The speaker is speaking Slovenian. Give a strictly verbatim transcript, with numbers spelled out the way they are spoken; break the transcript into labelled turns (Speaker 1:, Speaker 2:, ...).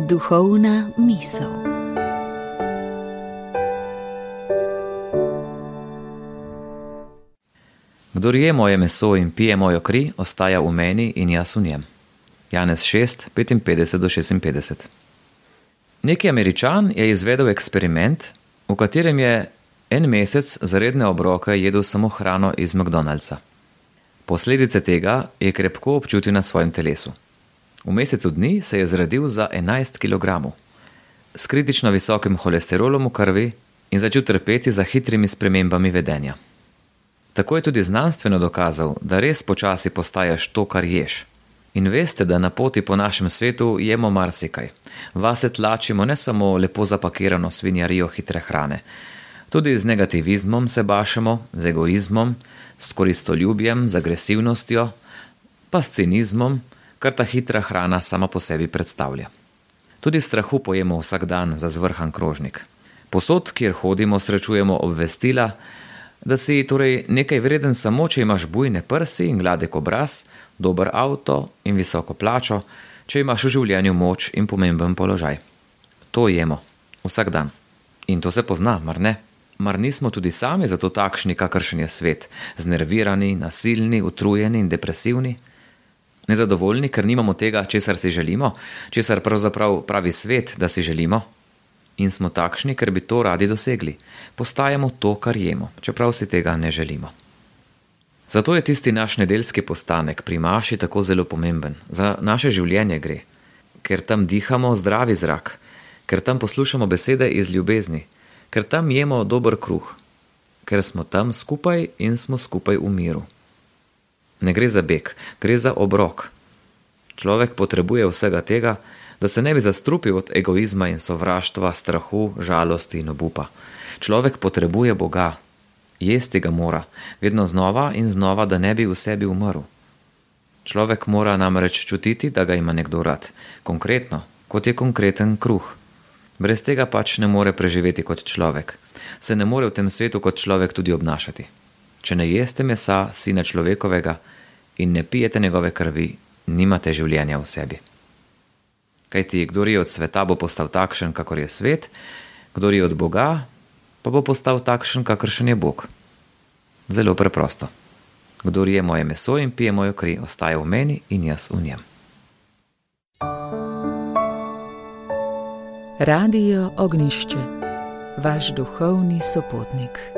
Speaker 1: Duhovna misel.
Speaker 2: Kdor je moje meso in pije mojo kri, ostaja v meni in jaz v njem. Janez šest, petinpetdeset do šestinpetdeset. Neki Američan je izvedel eksperiment, v katerem je en mesec za redne obroke jedel samo hrano iz McDonald'sa. Posledice tega je krepko občutil na svojem telesu. V mesecu dni se je zredil za enajst kilogramov, s kritično visokim holesterolom v krvi in začel trpeti za hitrimi spremembami vedenja. Tako je tudi znanstveno dokazal, da res počasi postaješ to, kar ješ. In veste, da na poti po našem svetu jemo marsikaj. Vase tlačimo ne samo lepo zapakirano svinjarijo hitre hrane. Tudi z negativizmom se bašemo, z egoizmom, s koristoljubjem, z agresivnostjo, pa s cinizmom, kar ta hitra hrana sama po sebi predstavlja. Tudi strahu pojemo vsak dan za zvrhan krožnik. Posod, kjer hodimo, srečujemo obvestila, da si torej nekaj vreden samo, če imaš bujne prsi in gladek obraz, dober avto in visoko plačo, če imaš v življenju moč in pomemben položaj. To jemo, vsak dan. In to se pozna, mar ne? Mar nismo tudi sami zato takšni, kakršen je svet, znervirani, nasilni, utrujeni in depresivni? Nezadovoljni, ker nimamo tega, česar si želimo, česar pravzaprav pravi svet, da si želimo? In smo takšni, ker bi to radi dosegli. Postajamo to, kar jemo, čeprav si tega ne želimo. Zato je tisti naš nedeljski postanek pri maši tako zelo pomemben. Za naše življenje gre. Ker tam dihamo zdravi zrak, ker tam poslušamo besede iz ljubezni, ker tam jemo dober kruh, ker smo tam skupaj in smo skupaj v miru. Ne gre za beg, gre za obrok. Človek potrebuje vsega tega, da se ne bi zastrupil od egoizma in sovraštva, strahu, žalosti in obupa. Človek potrebuje Boga, jesti ga mora, vedno znova in znova, da ne bi v sebi umrl. Človek mora namreč čutiti, da ga ima nekdo rad, konkretno, kot je konkreten kruh. Brez tega pač ne more preživeti kot človek. Se ne more v tem svetu kot človek tudi obnašati. Če ne jeste mesa sina človekovega in ne pijete njegove krvi, nimate življenja v sebi. Kajti, kdor je od sveta, bo postal takšen, kakor je svet, kdor je od Boga, pa bo postal takšen, kakršen je Bog. Zelo preprosto. Kdor je moje meso in pije mojo kri, ostaja v meni in jaz v njem.
Speaker 1: Radio Ognjišče, vaš duhovni sopotnik.